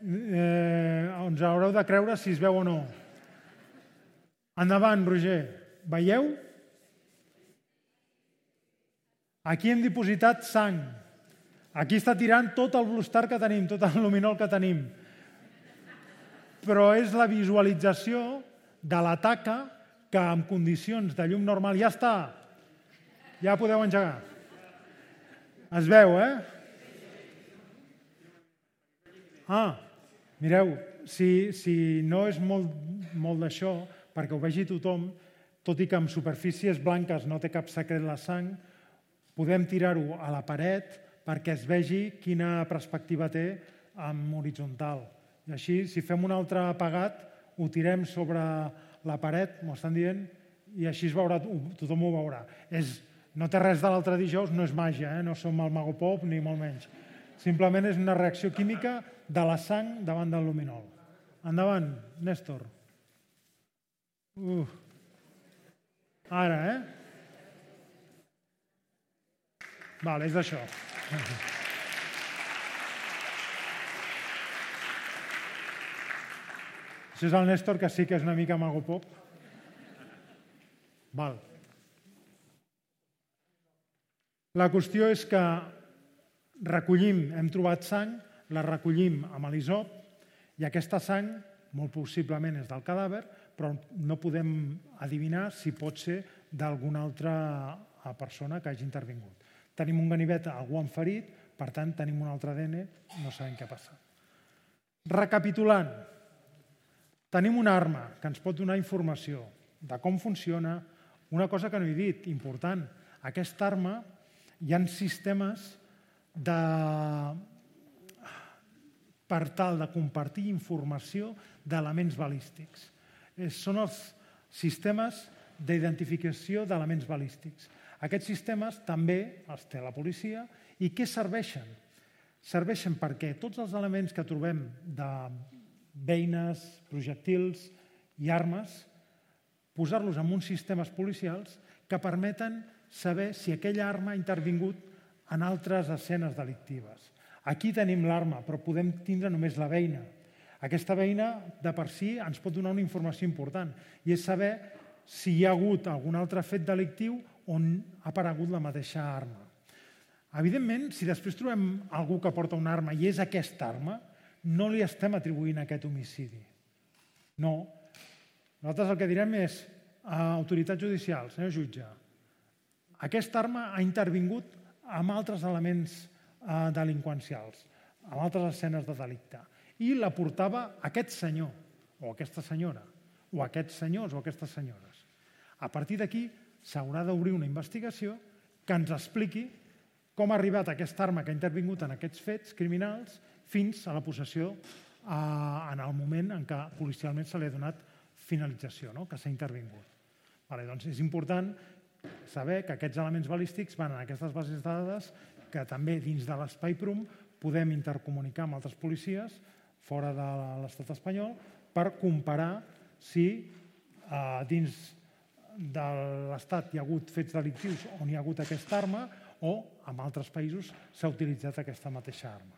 B: Ens haureu de creure si es veu o no. Endavant, Roger. Veieu? Aquí hem dipositat sang. Aquí està tirant tot el Blue Star que tenim, tot el luminol que tenim. Però és la visualització de la taca que en condicions de llum normal ja està. Ja podeu engegar. Es veu, mireu, si no és molt d'això, perquè ho vegi tothom, tot i que en superfícies blanques no té cap secret la sang, podem tirar-ho a la paret perquè es vegi quina perspectiva té en horitzontal. I així, si fem un altre apagat, ho tirem sobre la paret, m'ho estan dient, i així es veurà, tothom ho veurà. No té res de l'altre dijous, no és màgia, no som el Mago Pop ni molt menys. Simplement és una reacció química de la sang davant del luminol. Endavant, Néstor. Ara, Vale, és d'això. Això és el Néstor, que sí que és una mica Mago Pop. Val. La qüestió és que recollim, hem trobat sang, la recollim amb l'hisop i aquesta sang, molt possiblement és del cadàver, però no podem adivinar si pot ser d'alguna altra persona que hagi intervingut. Tenim un ganivet, algú han ferit, per tant tenim un altre ADN, no sabem què ha passat. Recapitulant, tenim una arma que ens pot donar informació de com funciona. Una cosa que no he dit, important, aquesta arma hi ha sistemes per tal de compartir informació d'elements balístics. Són els sistemes d'identificació d'elements balístics. Aquests sistemes també els té la policia i què serveixen? Serveixen perquè tots els elements que trobem de beines, projectils i armes posar-los en uns sistemes policials que permeten saber si aquella arma ha intervingut en altres escenes delictives. Aquí tenim l'arma, però podem tindre només la beina. Aquesta beina, de per si, ens pot donar una informació important, i és saber si hi ha hagut algun altre fet delictiu on ha aparegut la mateixa arma. Evidentment, si després trobem algú que porta una arma i és aquesta arma, no li estem atribuint aquest homicidi. No. Nosaltres el que direm és a autoritat judicial, senyor jutge, aquesta arma ha intervingut amb altres elements delinqüencials, amb altres escenes de delicte, i la portava aquest senyor, o aquesta senyora, o aquests senyors o aquestes senyores. A partir d'aquí s'haurà d'obrir una investigació que ens expliqui com ha arribat aquesta arma que ha intervingut en aquests fets criminals fins a la possessió en el moment en què policialment se li ha donat finalització, que s'ha intervingut. Doncs és important saber que aquests elements balístics van en aquestes bases de dades que també dins de l'espai PRUM podem intercomunicar amb altres policies fora de l'estat espanyol per comparar si dins de l'estat hi ha hagut fets delictius on hi ha hagut aquesta arma o en altres països s'ha utilitzat aquesta mateixa arma.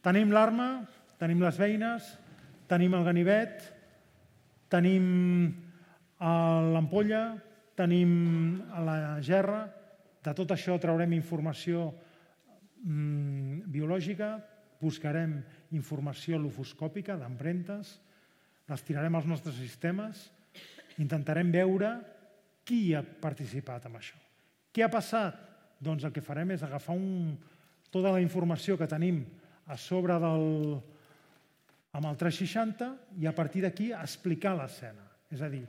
B: Tenim l'arma, tenim les beines, tenim el ganivet, tenim l'ampolla, tenim la gerra. De tot això traurem informació biològica, buscarem informació lofoscòpica d'empremtes, les tirarem als nostres sistemes, intentarem veure qui ha participat en això. Què ha passat? Doncs el que farem és agafar tota la informació que tenim a sobre amb el 360 i a partir d'aquí explicar l'escena. És a dir,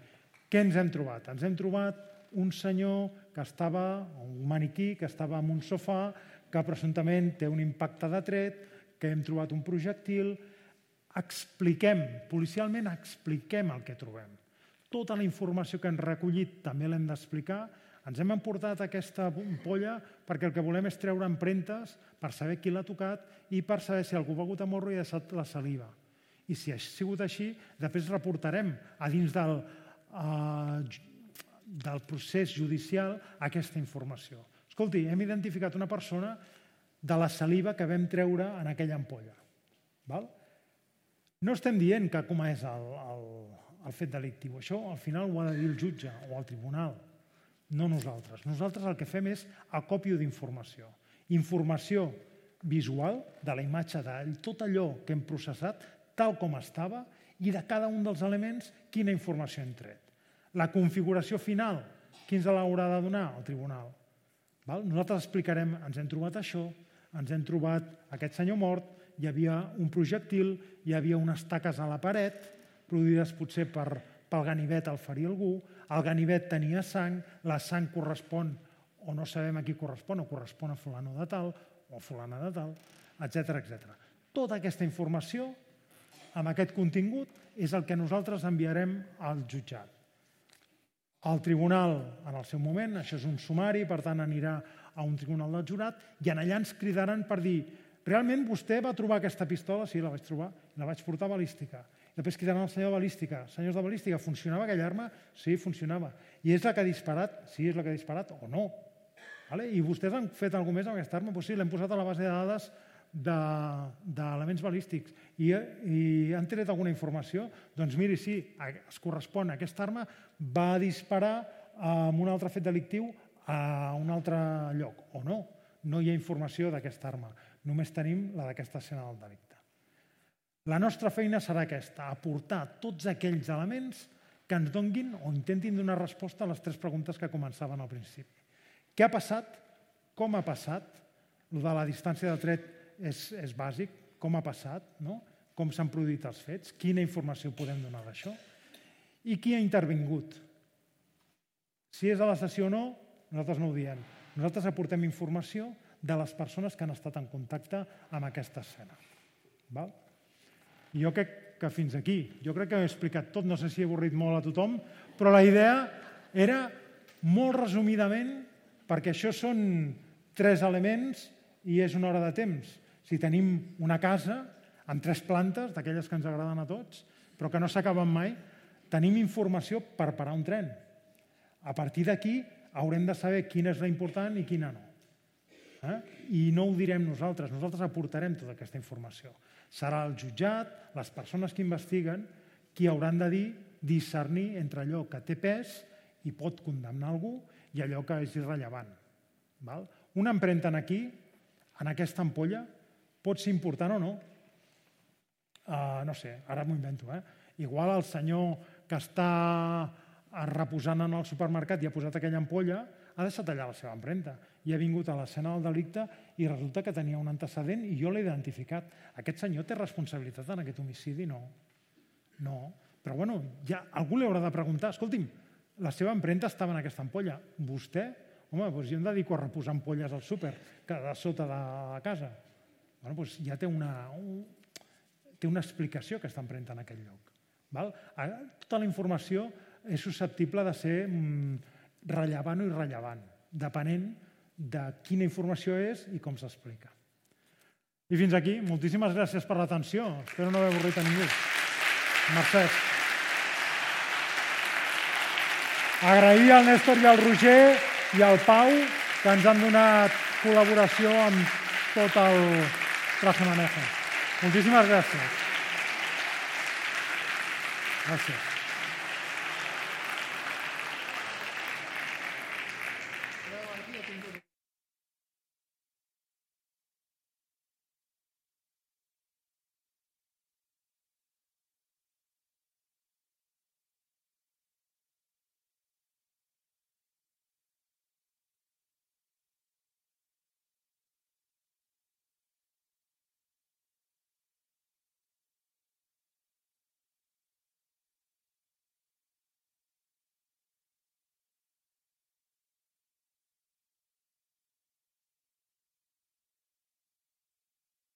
B: què ens hem trobat? Ens hem trobat un senyor que estava, un maniquí que estava en un sofà, que presumptament té un impacte de tret, que hem trobat un projectil. Expliquem, policialment expliquem el que trobem. Tota la informació que hem recollit també l'hem d'explicar. Ens hem emportat aquesta ampolla perquè el que volem és treure empremtes per saber qui l'ha tocat i per saber si algú ha begut a morro i ha deixat la saliva. I si ha sigut així, després reportarem a dins del procés judicial aquesta informació. Escolti, hem identificat una persona de la saliva que vam treure en aquella ampolla. No estem dient que com és el fet delictiu. Això al final ho ha de dir el jutge o el tribunal, no nosaltres. Nosaltres el que fem és acòpio d'informació. Informació visual de la imatge de tot allò que hem processat, tal com estava, i de cada un dels elements quina informació hem tret. La configuració final, qui ens l'haurà de donar? El tribunal. Nosaltres explicarem, ens hem trobat això, ens hem trobat aquest senyor mort, hi havia un projectil, hi havia unes taques a la paret, produïdes potser pel ganivet al ferir algú, el ganivet tenia sang, la sang correspon, o no sabem a qui correspon, o correspon a fulano de tal, o a fulana de tal, etc. Tota aquesta informació, amb aquest contingut, és el que nosaltres enviarem al jutjat. El tribunal, en el seu moment, això és un sumari, per tant anirà a un tribunal del jurat, i allà ens cridaran per dir realment vostè va trobar aquesta pistola? Sí, la vaig trobar, la vaig portar a balística. Després cridaran el senyor de balística. Senyors de balística, funcionava aquella arma? Sí, funcionava. I és la que ha disparat? Sí, és la que ha disparat o no. I vostès han fet alguna cosa més amb aquesta arma? Doncs sí, l'hem posat a la base de dades d'elements balístics i han tret alguna informació? Doncs miri, sí, es correspon. Aquesta arma va disparar amb un altre fet delictiu a un altre lloc, o no. No hi ha informació d'aquesta arma, només tenim la d'aquesta escena del delicte. La nostra feina serà aquesta, aportar tots aquells elements que ens donguin o intentin donar resposta a les 3 preguntes que començaven al principi. Què ha passat? Com ha passat? De la distància de tret és bàsic. Com ha passat? Com s'han produït els fets? Quina informació podem donar d'això? I qui ha intervingut? Si és a la sessió o no, nosaltres no ho diem. Nosaltres aportem informació de les persones que han estat en contacte amb aquesta escena. Jo crec que fins aquí. Jo crec que he explicat tot, no sé si he avorrit molt a tothom, però la idea era molt resumidament, perquè això són 3 elements i és una hora de temps. Si tenim una casa amb 3 plantes, d'aquelles que ens agraden a tots, però que no s'acaben mai, tenim informació per parar un tren. A partir d'aquí haurem de saber quina és la important i quina no. I no ho direm nosaltres aportarem tota aquesta informació. Serà el jutjat, les persones que investiguen, qui hauran de discernir entre allò que té pes i pot condemnar algú i allò que és irrellevant. Una empremta aquí, en aquesta ampolla, pot ser important o no. No sé, ara m'ho invento. Igual el senyor que està reposant en el supermercat i ha posat aquella ampolla ha deixat allà la seva empremta i ha vingut a l'escena del delicte i resulta que tenia un antecedent i jo l'he identificat. Aquest senyor té responsabilitat en aquest homicidi? No. Però bueno, ja algú li haurà de preguntar, escolti'm, la seva empremta estava en aquesta ampolla. Vostè? Home, doncs jo em dedico a reposar ampolles al súper, que de sota de la casa. Bueno, doncs ja té una explicació aquesta empremta en aquell lloc. Tota la informació és susceptible de ser rellevant o irrellevant, depenent de quina informació és i com s'explica. I fins aquí. Moltíssimes gràcies per l'atenció. Espero no haver avorrit a ningú. Mercè. Agrair al Néstor i al Roger i al Pau que ens han donat col·laboració amb tot el traje manejo. Moltíssimes gràcies. Gràcies.